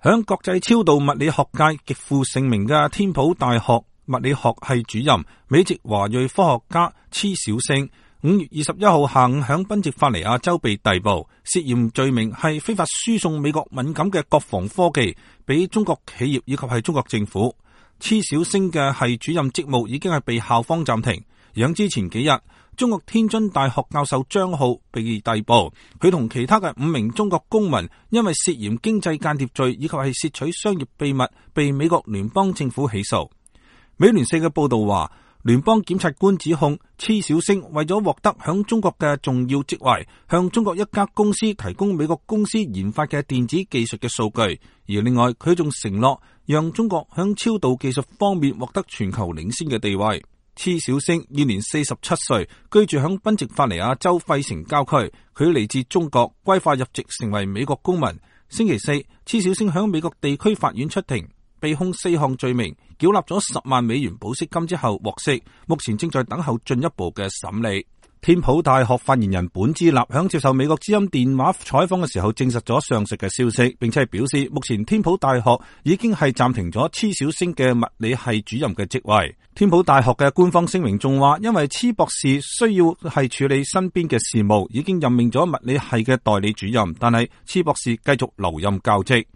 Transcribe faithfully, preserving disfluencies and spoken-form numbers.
響國際超導物理學界極負盛名嘅天普大學物理學系主任、美籍華裔科學家黐小星，五月二十一號下午響賓夕法尼亞州被逮捕，涉嫌罪名係非法輸送美國敏感嘅國防科技俾中國企業以及係中國政府。黐小星嘅系主任職務已經係被校方暫停。而之前幾日，中國天津大學教授張浩被逮捕，佢同其他嘅五名中國公民因為涉嫌經濟間諜罪以及係竊取商業秘密，被美國聯邦政府起訴。美聯社嘅報道話，聯邦檢察官指控黐小星為咗獲得響中國嘅重要職位，向中國一家公司提供美國公司研發嘅電子技術嘅數據，而另外佢仲承諾讓中國響超導技術方面獲得全球領先嘅地位。黐小星現年四十七歲，居住響賓夕法尼亞州費城郊區。佢嚟自中國，歸化入籍成為美國公民。星期四，黐小星響美國地區法院出庭，被控四項罪名，繳納咗十萬美元保釋金之後獲釋，目前正在等候進一步嘅審理。天普大學發言人本茲納響接受美國之音電話採訪嘅時候證實咗上述嘅消息，並且係表示目前天普大學已經係暫停咗黐小星嘅物理系主任嘅職位。天普大學嘅官方聲明仲話，因為黐博士需要係處理身邊嘅事務，已經任命咗物理系嘅代理主任，但係黐博士繼續留任教職。